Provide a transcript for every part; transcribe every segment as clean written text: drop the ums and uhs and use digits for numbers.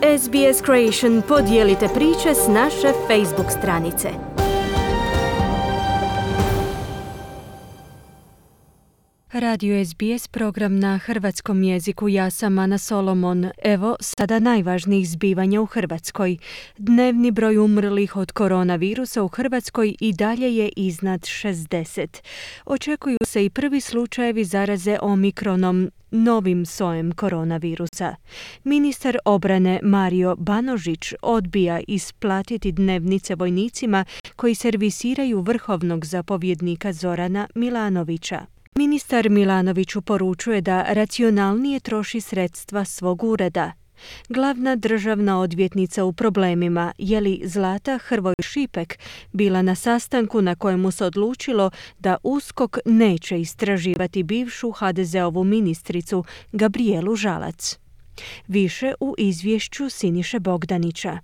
SBS Creation podijelite priče s naše Facebook stranice. Radio SBS program na hrvatskom jeziku. Ja sam Ana Solomon. Evo sada najvažnijih zbivanja u Hrvatskoj. Dnevni broj umrlih od koronavirusa u Hrvatskoj i dalje je iznad 60. Očekuju se i prvi slučajevi zaraze omikronom, novim sojem koronavirusa. Ministar obrane Mario Banožić odbija isplatiti dnevnice vojnicima koji servisiraju vrhovnog zapovjednika Zorana Milanovića. Ministar Milanoviću poručuje da racionalnije troši sredstva svog ureda. Glavna državna odvjetnica u problemima, Jeli Zlata Hrvoj Šipek, bila na sastanku na kojemu se odlučilo da USKOK neće istraživati bivšu HDZ-ovu ministricu Gabrijelu Žalac. Više u izvješću Siniše Bogdanića.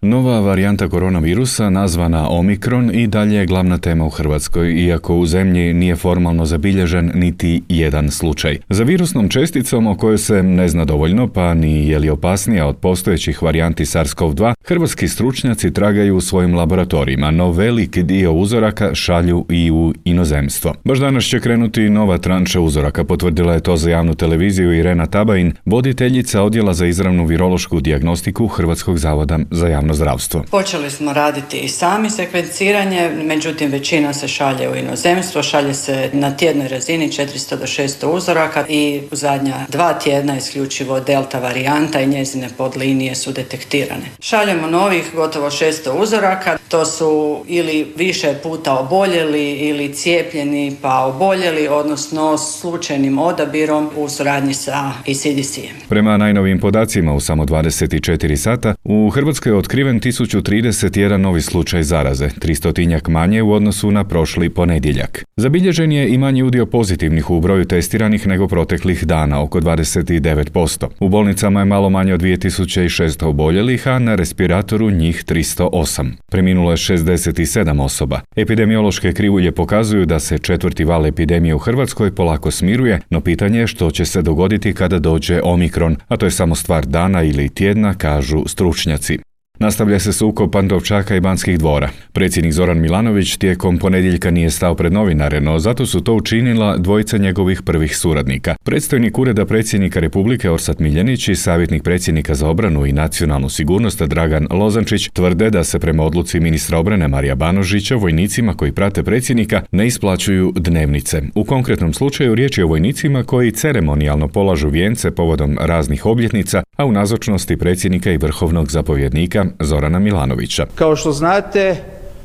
Nova varijanta koronavirusa, nazvana Omikron, i dalje je glavna tema u Hrvatskoj, iako u zemlji nije formalno zabilježen niti jedan slučaj. Za virusnom česticom, o kojoj se ne zna dovoljno, pa ni je li opasnija od postojećih varijanti SARS-CoV-2, hrvatski stručnjaci tragaju u svojim laboratorijima, no veliki dio uzoraka šalju i u inozemstvo. Baš danas će krenuti nova tranša uzoraka, potvrdila je to za javnu televiziju Irena Tabajin, voditeljica odjela za izravnu virološku dijagnostiku Hrvatskog zavoda za javno zdravstvo. Počeli smo raditi i sami sekvenciranje, međutim većina se šalje u inozemstvo, šalje se na tjednoj razini 400 do 600 uzoraka i u zadnja 2 tjedna isključivo delta varijanta i njezine podlinije su detektirane. Šaljemo novih gotovo 600 uzoraka, to su ili više puta oboljeli ili cijepljeni pa oboljeli, odnosno slučajnim odabirom u suradnji sa CDC-em. Prema najnovijim podacima u samo 24 sata u Hrvatskoj je otkriven 1031 novi slučaj zaraze, 300 manje u odnosu na prošli ponedjeljak. Zabilježen je i manji udio pozitivnih u broju testiranih nego proteklih dana, oko 29%. U bolnicama je malo manje od 2600 oboljelih, a na respiratoru njih 308. Preminulo je 67 osoba. Epidemiološke krivulje pokazuju da se 4. val epidemije u Hrvatskoj polako smiruje, no pitanje je što će se dogoditi kada dođe Omikron, a to je samo stvar dana ili tjedna, kažu stručnjaci. Nastavlja se sukob Pantovčaka i Banskih dvora. Predsjednik Zoran Milanović tijekom ponedjeljka nije stao pred novinare, no zato su to učinila dvojica njegovih prvih suradnika. Predstojnik Ureda predsjednika Republike Orsat Miljenić i savjetnik predsjednika za obranu i nacionalnu sigurnost Dragan Lozančić tvrde da se prema odluci ministra obrane Marija Banožića vojnicima koji prate predsjednika ne isplaćuju dnevnice. U konkretnom slučaju riječ je o vojnicima koji ceremonijalno polažu vijence povodom raznih obljetnica, a u nazočnosti predsjednika i vrhovnog zapovjednika Zorana Milanovića. Kao što znate,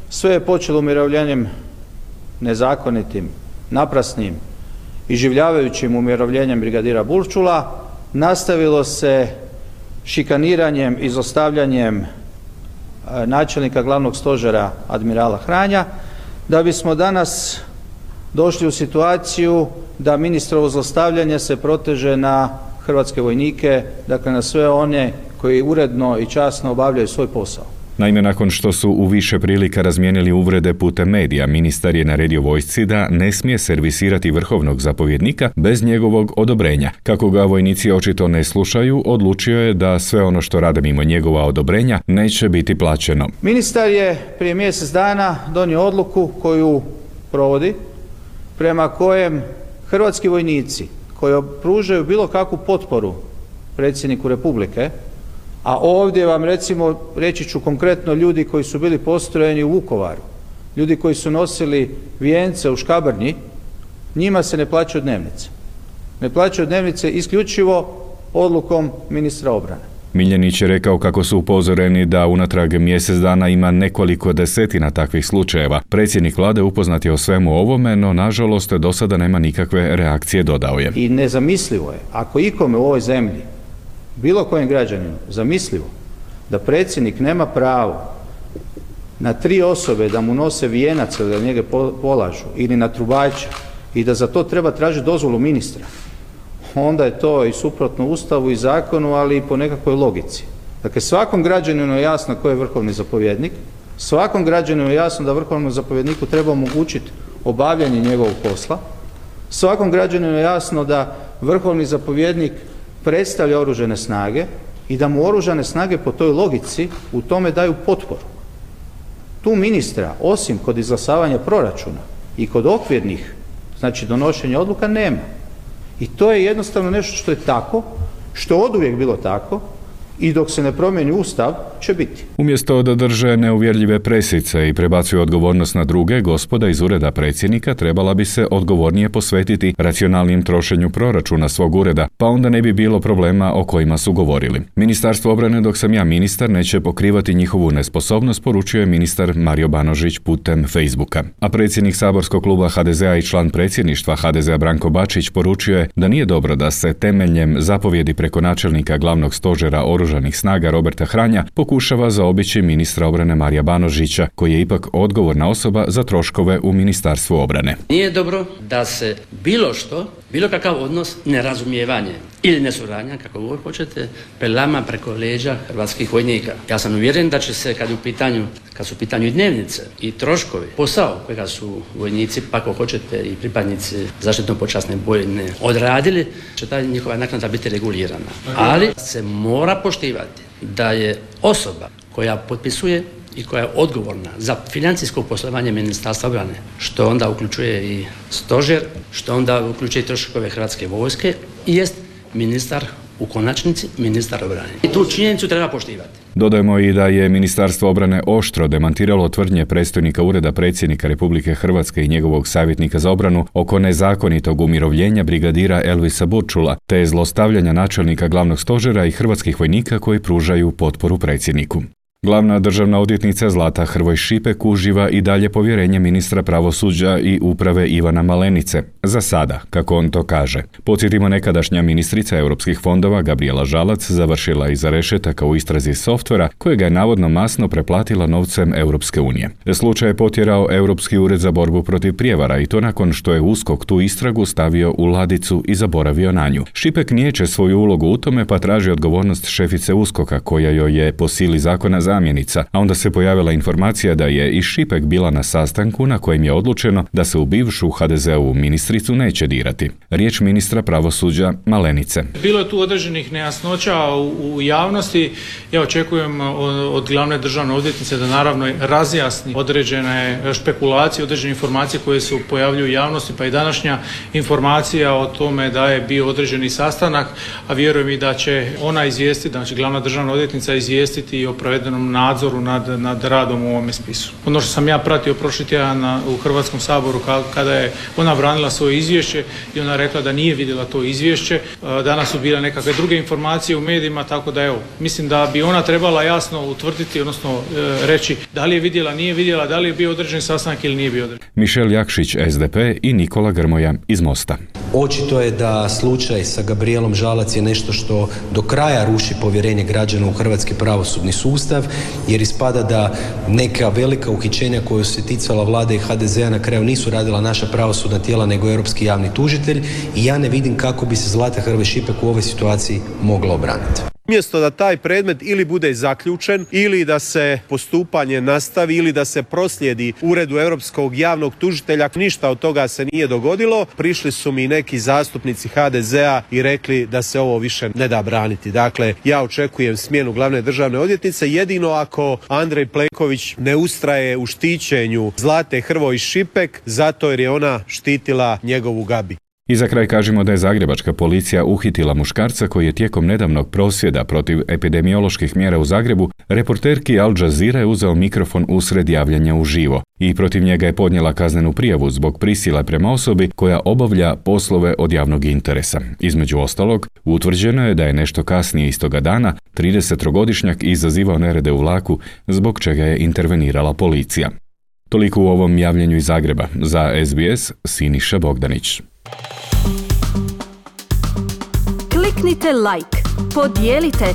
sve je počelo umirovljenjem nezakonitim, naprasnim, iživljavajućim umirovljenjem brigadira Burčula, nastavilo se šikaniranjem i izostavljanjem načelnika glavnog stožera admirala Hranja, da bismo danas došli u situaciju da ministrovo zlostavljanje se proteže na hrvatske vojnike, dakle na sve one koji uredno i časno obavljaju svoj posao. Naime, nakon što su u više prilika razmijenili uvrede putem medija, ministar je naredio vojsci da ne smije servisirati vrhovnog zapovjednika bez njegovog odobrenja. Kako ga vojnici očito ne slušaju, odlučio je da sve ono što rade mimo njegova odobrenja neće biti plaćeno. Ministar je prije mjesec dana donio odluku koju provodi, prema kojem hrvatski vojnici koji pružaju bilo kakvu potporu predsjedniku Republike, a ovdje vam recimo reći ću konkretno ljudi koji su bili postrojeni u Vukovaru, ljudi koji su nosili vijence u Škabrnji, njima se ne plaćaju dnevnice. Ne plaćaju dnevnice isključivo odlukom ministra obrane. Miljenić je rekao kako su upozoreni da unatrag mjesec dana ima nekoliko desetina takvih slučajeva. Predsjednik vlade upoznat je o svemu ovome, no nažalost do sada nema nikakve reakcije, dodao je. I nezamislivo je, ako ikome u ovoj zemlji, bilo kojem građaninu, zamislivo da predsjednik nema pravo na 3 osobe da mu nose vijenac ili da njega polažu ili na trubača i da za to treba tražiti dozvolu ministra, onda je to i suprotno Ustavu i zakonu, ali i po nekakvoj logici. Dakle, svakom građaninu je jasno ko je vrhovni zapovjednik, svakom građaninu je jasno da vrhovnom zapovjedniku treba omogućiti obavljanje njegovog posla, svakom građaninu je jasno da vrhovni zapovjednik predstavlja oružane snage i da mu oružane snage po toj logici u tome daju potporu. Tu ministra, osim kod izglasavanja proračuna i kod okvirnih, znači donošenja odluka, nema. I to je jednostavno nešto što je tako, što je oduvijek bilo tako i dok se ne promijeni Ustav će biti. Umjesto da drže neuvjerljive presice i prebacuju odgovornost na druge, gospoda iz ureda predsjednika trebala bi se odgovornije posvetiti racionalnijem trošenju proračuna svog ureda, pa onda ne bi bilo problema o kojima su govorili. Ministarstvo obrane, dok sam ja ministar, neće pokrivati njihovu nesposobnost, poručio je ministar Mario Banožić putem Facebooka. A predsjednik saborskog kluba HDZ-a i član predsjedništva HDZ-a Branko Bačić poručio je da nije dobro da se temeljem zapovjedi preko načelnika glavnog stožera Oružanih snaga Roberta Hranja pokušava zaobići ministra obrane Marija Banožića, koji je ipak odgovorna osoba za troškove u Ministarstvu obrane. Nije dobro da se bilo što, bilo kakav odnos, nerazumijevanje ili nesuradnja, kako god hoćete, prelama preko leđa hrvatskih vojnika. Ja sam uvjeren da će se, kad su u pitanju i dnevnice i troškovi, posao kojega su vojnici, pa ako hoćete i pripadnici zaštitno-počasne bojne odradili, će ta njihova naknada biti regulirana. Ali se mora poštivati da je osoba koja potpisuje i koja je odgovorna za financijsko poslovanje Ministarstva obrane, što onda uključuje i stožer, što onda uključuje i troškove Hrvatske vojske, i jest ministar, u konačnici ministar obrane. I tu činjenicu treba poštivati. Dodajemo i da je Ministarstvo obrane oštro demantiralo tvrdnje predstojnika Ureda predsjednika Republike Hrvatske i njegovog savjetnika za obranu oko nezakonitog umirovljenja brigadira Elvisa Burčula, te zlostavljanja načelnika glavnog stožera i hrvatskih vojnika koji pružaju potporu predsjedniku. Glavna državna odvjetnica Zlata Hrvoj Šipek uživa i dalje povjerenje ministra pravosuđa i uprave Ivana Malenice. Za sada, kako on to kaže. Podsjetimo, nekadašnja ministrica europskih fondova Gabrijela Žalac završila iza rešetaka u istrazi softvera kojega je navodno masno preplatila novcem Europske unije. Slučaj je potjerao Europski ured za borbu protiv prijevara i to nakon što je USKOK tu istragu stavio u ladicu i zaboravio na nju. Šipek niječe svoju ulogu u tome pa traži odgovornost šefice USKOK-a koja joj je po sili zakona zamjenica, a onda se pojavila informacija da je i Šipek bila na sastanku na kojem je odlučeno da se u bivšu HDZ-ovu ministricu neće dirati. Riječ ministra pravosuđa Malenice. Bilo je tu određenih nejasnoća u javnosti. Ja očekujem od glavne državne odvjetnice da naravno razjasni određene špekulacije, određene informacije koje se pojavljuju u javnosti, pa i današnja informacija o tome da je bio određeni sastanak, a vjerujem i da će ona izvijestiti, znači glavna državna odvjetnica izvijestiti i o provedenom nadzoru nad radom u ovome spisu. Ono što sam ja pratio prošli tjedan u Hrvatskom saboru kada je ona branila svoje izvješće i ona rekla da nije vidjela to izvješće. Danas su bile nekakve druge informacije u medijima, tako da evo, mislim da bi ona trebala jasno utvrditi, odnosno reći da li je vidjela, nije vidjela, da li je bio određen sastanak ili nije bio određen. Mišel Jakšić, SDP, i Nikola Grmoja iz Mosta. Očito je da slučaj sa Gabrijelom Žalac je nešto što do kraja ruši povjerenje građana u hrvatski pravosudni sustav, jer ispada da neka velika uhićenja koja su se ticala vlade i HDZ-a na kraju nisu radila naša pravosudna tijela nego europski javni tužitelj, i ja ne vidim kako bi se Zlata Hrvoj Šipek u ovoj situaciji mogla obraniti. Umjesto da taj predmet ili bude zaključen, ili da se postupanje nastavi, ili da se proslijedi Uredu europskog javnog tužitelja, ništa od toga se nije dogodilo. Prišli su mi neki zastupnici HDZ-a i rekli da se ovo više ne da braniti. Dakle, ja očekujem smjenu glavne državne odvjetnice, jedino ako Andrej Plenković ne ustraje u štićenju Zlate Hrvoj Šipek, zato jer je ona štitila njegovu Gabi. I za kraj kažemo da je zagrebačka policija uhitila muškarca koji je tijekom nedavnog prosvjeda protiv epidemioloških mjera u Zagrebu reporterki Al Jazeere uzeo mikrofon usred javljanja uživo i protiv njega je podnijela kaznenu prijavu zbog prisile prema osobi koja obavlja poslove od javnog interesa. Između ostalog, utvrđeno je da je nešto kasnije istoga dana 30-godišnjak izazivao nerede u vlaku, zbog čega je intervenirala policija. Toliko u ovom javljanju iz Zagreba. Za SBS, Siniša Bogdanić. Kliknite like, podijelite,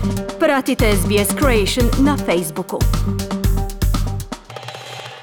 pratite SBS Creation na Facebooku.